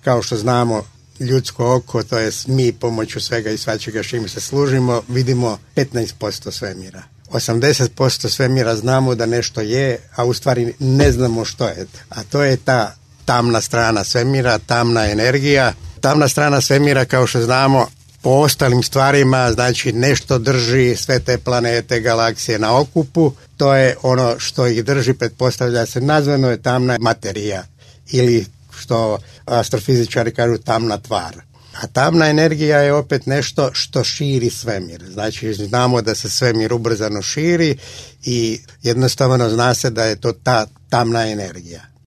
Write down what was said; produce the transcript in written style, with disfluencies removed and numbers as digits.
kao što znamo, ljudsko oko, to je mi pomoću svega i svačega čime se služimo, vidimo 15% svemira. 80% svemira znamo da nešto je, a u stvari ne znamo što je. A to je ta tamna strana svemira, tamna energija. Tamna strana svemira, kao što znamo, po ostalim stvarima, znači nešto drži sve te planete, galaksije na okupu. To je ono što ih drži, pretpostavlja se, nazvano je tamna materija ili što astrofizičari kažu tamna tvar. A tamna energija je opet nešto što širi svemir. Znači znamo da se svemir ubrzano širi i jednostavno zna se da je to ta tamna energija.